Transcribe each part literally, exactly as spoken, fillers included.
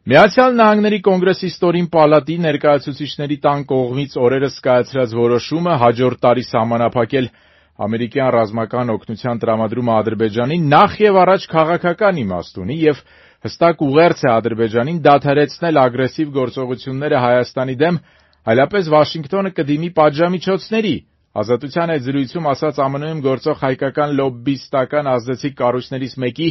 Միացյալ Նահանգների Կոնգրեսի ստորին պալատի ներկայացուցիչների տան կողմից օրերս կայացրած որոշումը հաջորդ տարի սահմանափակել ամերիկյան ռազմական օգնության տրամադրումը Ադրբեջանին նախ եւ առաջ քաղաքական իմաստ ունի եւ հստակ ուղերձ է Ադրբեջանին դադարեցնել ագրեսիվ գործողությունները Հայաստանի դեմ, այլապես Վաշինգտոնը կդիմի պատժամիջոցների, Ազատության հետ զրույցում ասաց ԱՄՆ-ում գործող հայկական լոբբիստական ազդեցիկ կառույցներից մեկի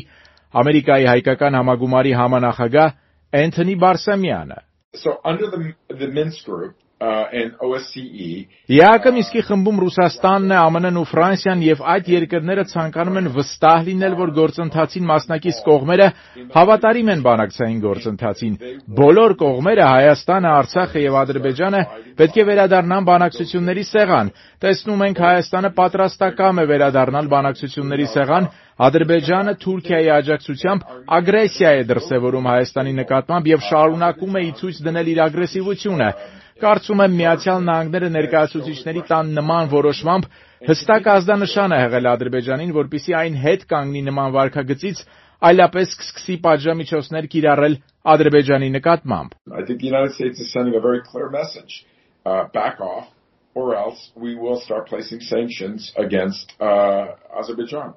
Ամերիկայի հայկական համագումարի համանախագահ Էնթոնի Բարսամյանը. So under the the Minsk group uh, and O S C E ԵԱՀԿ Մինսկի խմբում Ռուսաստանն է, ԱՄՆ-ն ու Ֆրանսիան եւ այդ երկրները ցանկանում են վստահ լինել, որ գործընթացին մասնակից կողմերը հավատարիմ են բանակցային գործընթացին։ Բոլոր կողմերը Հայաստանը, Արցախը եւ Ադրբեջանը պետք է վերադառնան բանակցությունների սեղան։ Տեսնում ենք Հայաստանը պատրաստակամ է վերադառնալ բանակցությունների սեղան, Ադրբեջանը Թուրքիայի աջակցությամբ ագրեսիա է դրսևորում Հայաստանի նկատմամբ եւ շարունակում է ի ցույց դնել իր ագրեսիվությունը։ Կարծում եմ Միացյալ Նահանգները ներկայացուցիչների տան նման որոշմամբ հստակ ազդանշան է եղել Ադրբեջանին, որպեսզի այն հետ կանգնի նման վարքագծից, այլապես կսկսի պատժամիջոցներ կիրառել Ադրբեջանի նկատմամբ։ I think the United States is sending a very clear message. Uh, back off or else we will start placing sanctions against uh, Azerbaijan.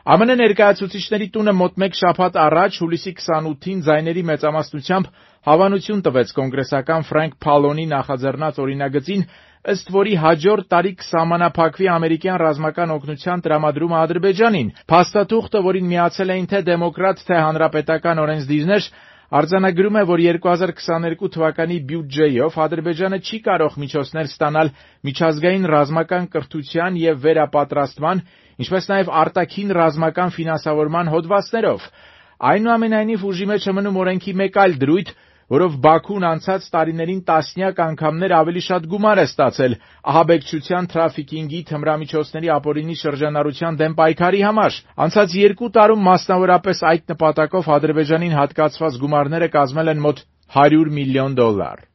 ԱՄՆ ներկայացուցիչների տունը մոտ մեկ շաբաթ առաջ հուլիսի քսանութին ձայների մեծամասնությամբ հավանություն տվեց կոնգրեսական Ֆրենկ Փալոնի նախաձեռնած օրինագծին, ըստ որի հաջորդ տարի կսահմանափակվի ամերիկյան ռազմական օգնության տրամադրումը Ադրբեջանին։ Փաստաթուղթը, որին միացել էին թե դեմոկրատ, թե հանրապետական օրենսդիրներ, արձանագրում է, որ երկու հազար քսաներկու թվականի բյուջեով Ադրբեջանը չի կարող միջոցներ ստանալ միջազգային ռազմական կրթության եւ վերապատրաստման, ինչպես նաեւ արտաքին ռազմական ֆինանսավորման հոդվածներով։ Այնուամենայնիվ ուժի մեջ է մնում օրենքի մեկ այլ դրույթ, որով Բաքուն անցած տարիներին տասնյակ անգամներ ավելի շատ գումար է ստացել ահաբեկչության, թրաֆիքինգի, թմրամիջոցների ապօրինի շրջանառության դեմ պայքարի համար։ Անցած երկու տարում մասնավորապես այդ նպատակով Ադրբեջանին հատկացված գումարները կազմել են մոտ հարյուր միլիոն դոլար։